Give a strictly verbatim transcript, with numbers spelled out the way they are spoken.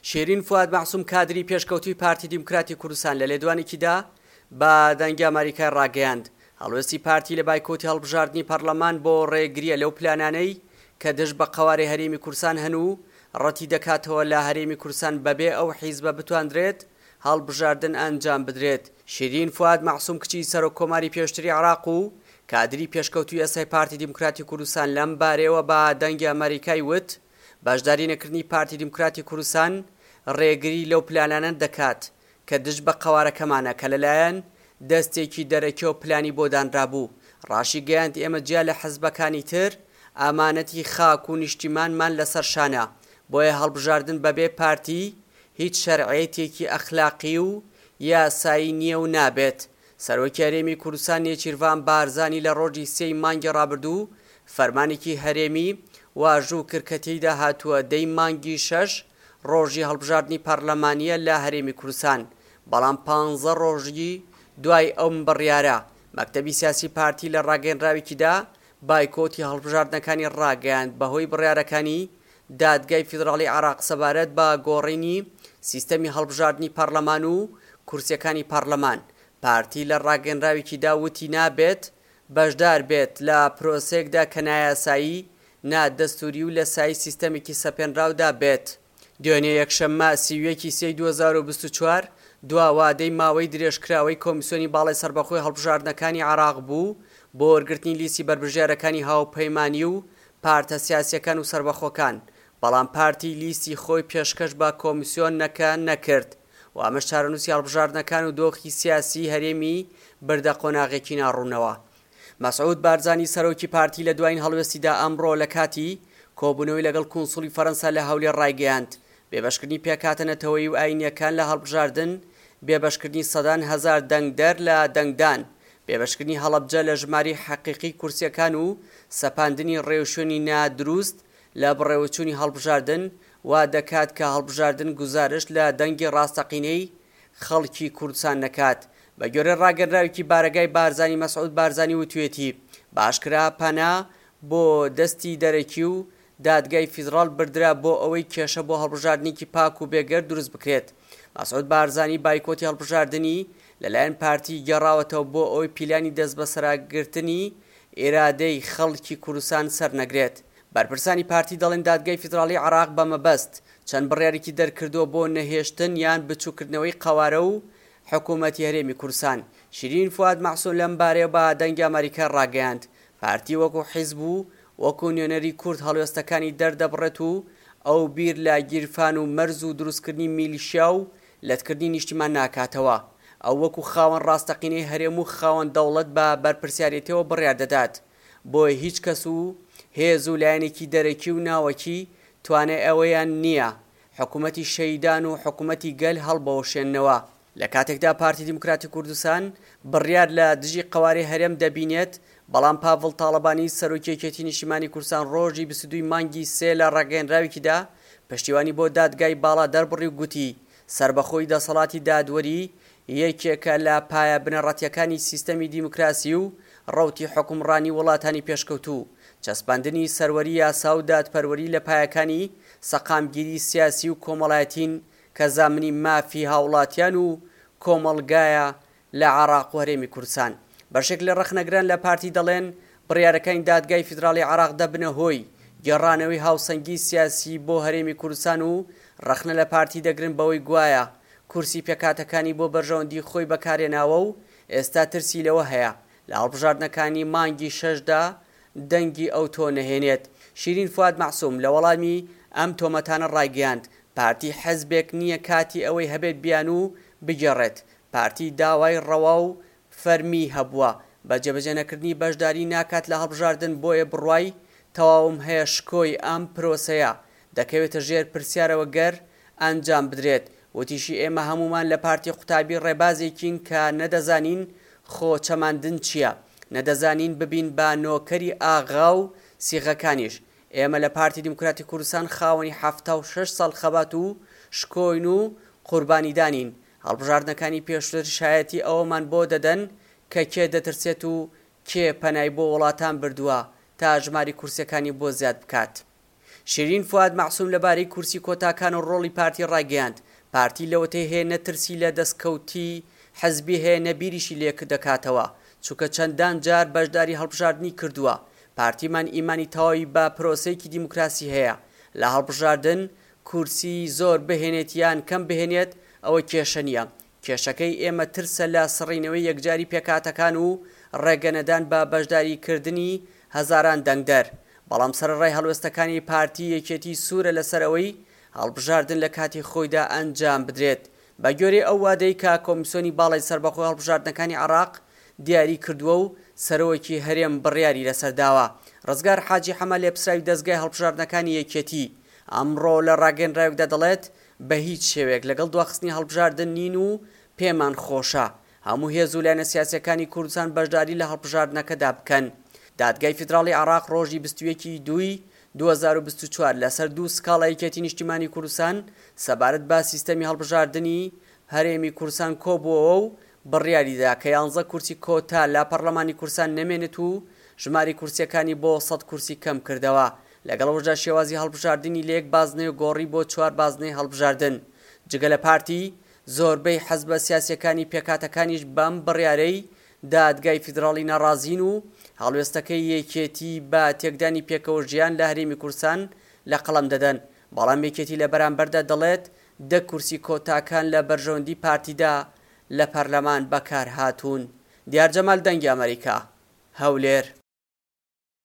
شیرین فواد مەعسوم کادری پێشکەوتووی پارتی دیموکراتی کوردستان لە لێدوانێکیدا بە دەنگی ئەمریکای ڕاگەیاند، هەڵوێستی پارتی لە بایکۆتی هەڵبژاردنی پەرلەمان بۆ ڕێگرییە لەو پلانانەی کە دژ بە قەوارەی هەرێمی کوردستان هەن و ڕەتی دەکاتەوە لە هەرێمی کوردستان بەبێ ئەو حیزبە بتواندرێت هەڵبژاردن ئەنجام بدرێت. شیرین فواد مەعسوم کچی سەرۆک کۆماری پێشتری عێراق و کادری پێشکەوتووی ئێستای پارتی دیموکراتی کوردستان لەم بارەیەوە بە دەنگی ئەمریکای وت، بەشداری نەکردنی پارتی دیموکراتی کوردستان ڕێگری لەو پلانانە دەکات کە دژ بە قەوارەکەمانە کە لەلایەن دەستێکی دەرەکیەوە پلانی بۆ دانرابوو. ڕاشیگەیاند، ئێمە جیا لە حزبەکانی تر ئامانەتی خاک و نیشتیمانمان لەسەر شانە، بۆیە هەڵبژاردن بەبێ پارتی هیچ شەرعیەتێکی ئەخلاقی و یاسایی نییە و نابێت. سەرۆکی هەرێمی کوردستان نێچیرڤان بارزانی لە ڕۆژی سێی مانگی ڕابردوو فەرمانێکی هەرێمی واژوو کرد کە تێیدا هاتووە دەی مانگی شەش ڕۆژی هەڵبژاردنی پەرلەمانییە لە هەرێمی کوردستان، بەڵام پانزە ڕۆژی دوای ئەم بڕیارە مەکتەبی سیاسی پارتی لە ڕاگەیەنراوێکیدا بایکۆتی هەڵبژاردنەکانی ڕاگەیاند بەهۆی بڕیارەکانی دادگای فیدراڵی عێراق سەبارەت بە گۆڕینی سیستەمی هەڵبژاردنی پەرلەمان و کورسیەکانی پەرلەمان. پارتی لە ڕاگەیەنراوێکیدا وتی نابێت بەشدار بێت لە پرۆسەیەکدا کە نایاسایی، نادەستوری و لە سایەی سیستەمێکی سەپێنراودا بێت. دوێنێ یەکشەممە سی و یەک ی سێی دوو هەزار و بیست و چوار دوا وادەی ماوەی درێژکراوەی کۆمیسیۆنی باڵای سەربەخۆی هەڵبژاردنەکانی عێراق بوو بۆ وەرگرتنی لیستی بەربژێرەکانی هاوپەیمانی و پارتە سیاسییەکان و سەربەخۆکان، بەڵام پارتی لیستی خۆی پێشکەش بە کۆمیسیۆنەکە نەکرد و ئەمەش چارەنووسی هەڵبژاردنەکان و دۆخی سیاسیی هەرێمی بردە قۆناغێکی ناڕوونەوە. مەسعود بارزانی سەرۆکی پارتی لە دوایین هەڵوێستیدا ئەمڕۆ لە کاتی کۆبوونەوەی لەگەڵ کونسوڵی فەرەنسا لە هەولێر ڕایگەیاند، بێبەشکردنی پێکهاتە نەتەوەیی و ئایینییەکان لە هەڵبژاردن، بێبەشکردنی سەدان هەزار دەنگدەر لە دەنگدان، بێبەشکردنی هەڵەبجە لە ژمارەی حەقیقی کورسییەکان و سەپاندنی ڕێوشوێنی نادروست لە بەڕێوەچوونی هەڵبژاردن وا دەکات کە هەڵبژاردن گوزارشت لە دەنگی ڕاستەقینەی خەڵکی کوردستان نەکات. بە گوێرەی ڕاگەنراوێکی بارەگای بارزانی مەسعود بارزانی وتویەتی، بە ئاشکرا پەنا بۆ دەستی دەرەکی و دادگای فیدڕاڵ بردرا بۆ ئەوەی کێشە بۆ هەڵبژاردنێکی پاک و بێگەرد دروست بکرێت. مەسعود بارزانی بایکۆتی هەڵبژاردنی لەلایەن پارتی گێڕاوەتەوە بۆ ئەوەی پیلانی دەستبەسەراگرتنی ئیرادەی خەڵکی کوردستان سەرنەگرێت. بەرپرسانی پارتی دەڵێن دادگای فیدراڵی عێراق بە مەبەست چەند بڕیارێکی دەرکردووە بۆ نەهێشتن یان بچووکردنەوەی قەوارە و حکوومەتی هەرێمی کوردستان. شیرین فواد مەعسوم لەم بارەیەوە بە دەنگی ئەمەریکای ڕاگەیاند، پارتی وەکو حیزب و وەکو نوێنەری کورد هەڵوێستەکانی دەردەبڕێت و ئەو بیر لە گیرفان و مەرز و دروستکردنی میلیشیا و لەتکردنی نیشتیمان ناکاتەوە. ئەو وەکو خاوەن ڕاستەقینەی هەرێم و خاوەن دەوڵەت بە بەرپرسیارێتیەوە بڕیار دەدات. بۆیە هیچ کەس و هێز و لایەنێکی دەرەکی و ناوەکی توانای ئەوەیان نییە حکومەتی شەهیدان و حکومەتی گەل هەڵبوەشێننەوە. لە کاتێکدا پارتی دیموکراتی کوردستان بڕیار لە دژی قەوارەی هەرێم دەبینێت، بەڵام پاڤڵ تاڵەبانی سەرۆکی یەکێتی نیشتیمانی کوردستان ڕۆژی بیست و دوو ی مانگی سێ لە ڕاگەیەنراوێکیدا پشتیوانی بۆ دادگای باڵا دەربڕی و گوتی سەربەخۆیی دەسەڵاتی دادوەری یەکێکە لە پایە بنەڕەتییەکانی سیستەمی دیموکراسی و ڕەوتی حوکمڕانی وڵاتانی پێشکەوتوو، چەسپاندنی سەروەری یاسا و دادپەروەری لە پایەکانی سەقامگیری سیاسی و کۆمەڵایەتین کە زامنی مافی هاوڵاتیان و کۆمەڵگایە لە عێراق و هەرێمی کوردستان. بەشێک لە ڕەخنەگران لە پارتی دەڵێن، بڕیارەکانی دادگای فیدراڵی عێراق دەبنە هۆی گێڕانەوەی هاوسەنگی سیاسی بۆ هەرێمی کوردستان و ڕەخنە لە پارتی دەگرن بەوەی گوایە کورسی پێکهاتەکانی بۆ بەرژەوەندی خۆی بەکارهێناوە و ئێستا ترسی لەوە هەیە لە هەڵبژاردنەکانی مانگی شەشدا دەنگی ئەوتۆ نەهێنێت. شیرین فواد مەعسوم لە وەڵامی ئەم تۆمەتانە ڕایگەیاند، پارتی حزبێک نییە کاتی ئەوەی هەبێت بیانوو بگێڕێت، پارتی داوای ڕەوا و فەرمیی هەبووە، بە جێبەجێنەکردنی بەشداری ناکات لە هەڵبژاردن، بۆیە بڕوای تەواوم هەیە شکۆی ئەم پرۆسەیە دەکەوێتە ژێر پرسیارەوە گەر ئەنجام بدرێت. وتیشی، ئێمە هەموومان لە پارتی قوتابی ڕێبازێکین کە نەدەزانین خۆ چەماندن چییە، نەدەزانین ببین بە نۆکەری ئاغا و سیغەکانیش، ئێمە لە پارتی دیموکراتی کوردستان خاوەنی حەفتا و شەش ساڵ خەبات و شکۆین و قوربانیدانین، هەڵبژاردنەکانی پێشووتر شایەتی ئەوەمان بۆ دەدەن کە کێ دەترسێت و کێ پەنای بۆ وڵاتان بردووە تا ژماری کورسیەکانی بۆ زیاد بکات. شیرین فوئاد مەعسوم لەبارەی کورسی کۆتاکان و ڕۆڵی پارتی ڕایگەیاند، پارتی لەوەتەی هەیە نە ترسی لە دەستکەوتی حزبی هەیە نە بیریشی لێکدەکاتەوە، چونکە چەندان جار بەشداری هەڵبژاردنی کردووە، پارتیمان ئیمانی تەواوی بە پرۆسەیەکی دیموکراسی هەیە لە هەڵبژاردن، کورسی زۆر بهێنێت یان کەم بهێنێت ئەوە کێشە نییە، کێشەکەی ئێمە ترسە لە سڕینەوەی یەکجاری پێکهاتەکان و ڕێگەنەدان بە بەشداریکردنی هەزاران دەنگدەر. بەڵام سەرەڕای هەڵوێستەکانی پارتی، یەکێتی سوورە لەسەر ئەوەی هەڵبژاردن لە کاتی خۆیدا ئەنجام بدرێت بەگوێرەی ئەو وادەی کە کۆمیسیۆنی باڵای سەربەخۆی هەڵبژاردنەکانی عێراق دیاری کردووە و سەرۆکی هەرێم بڕیاری لەسەر داوە. ڕزگار حاجی حەمە لێپسراوی دەزگای هەڵبژاردنەکانی یەکێتی ئەمڕۆ لە ڕاگەیەنراوێکدا دەڵێت بە هیچ شێوەیەک لەگەڵ دواخستنی هەڵبژاردن نین و پێمان خۆشە هەموو هێز و لایەنە سیاسییەکانی کوردستان بەشداری لە هەڵبژاردنەکەدا بکەن. دادگای فیدراڵی عێراق ڕۆژی بیست و یەک ی دووی دوو هەزار و بیست و چوار لەسەر دوو سکاڵای یەکێتی نیشتیمانی کوردستان سەبارەت بە سیستەمی هەڵبژاردنی هەرێمی کوردستان کۆبووەوە و بڕیاریدا کە یانزە کورسی کۆتا لە پەرلەمانی کوردستان نەمێنێت و ژمارەی کورسییەکانی بۆ سەد کورسی کەمکردەوە. لەگەڵ ئەوەشدا شێوازی هەڵبژاردنی لە یەک بازنەیەوە گۆڕی بۆ چوار بازنەی هەڵبژاردن. جگە لە پارتی، زۆربەی حزبە سیاسییەکانی پێکهاتەکانیش بەم بڕیارەی دادگای فیدراڵی ناڕازین و هەڵوێستەکەی یەکێتی بە تێکدانی پێکەوەژیان لە هەرێمی کوردستان لە قەڵەم دەدەن، بەڵام یەکێتی لە بەرامبەردا دەڵێت دە کورسی کۆتاکان لە بەرژەوەندی پارتیدا لە پەرلەمان بەکارهاتوون. دیار جەمال، دەنگی ئەمەریکا، هەولێر.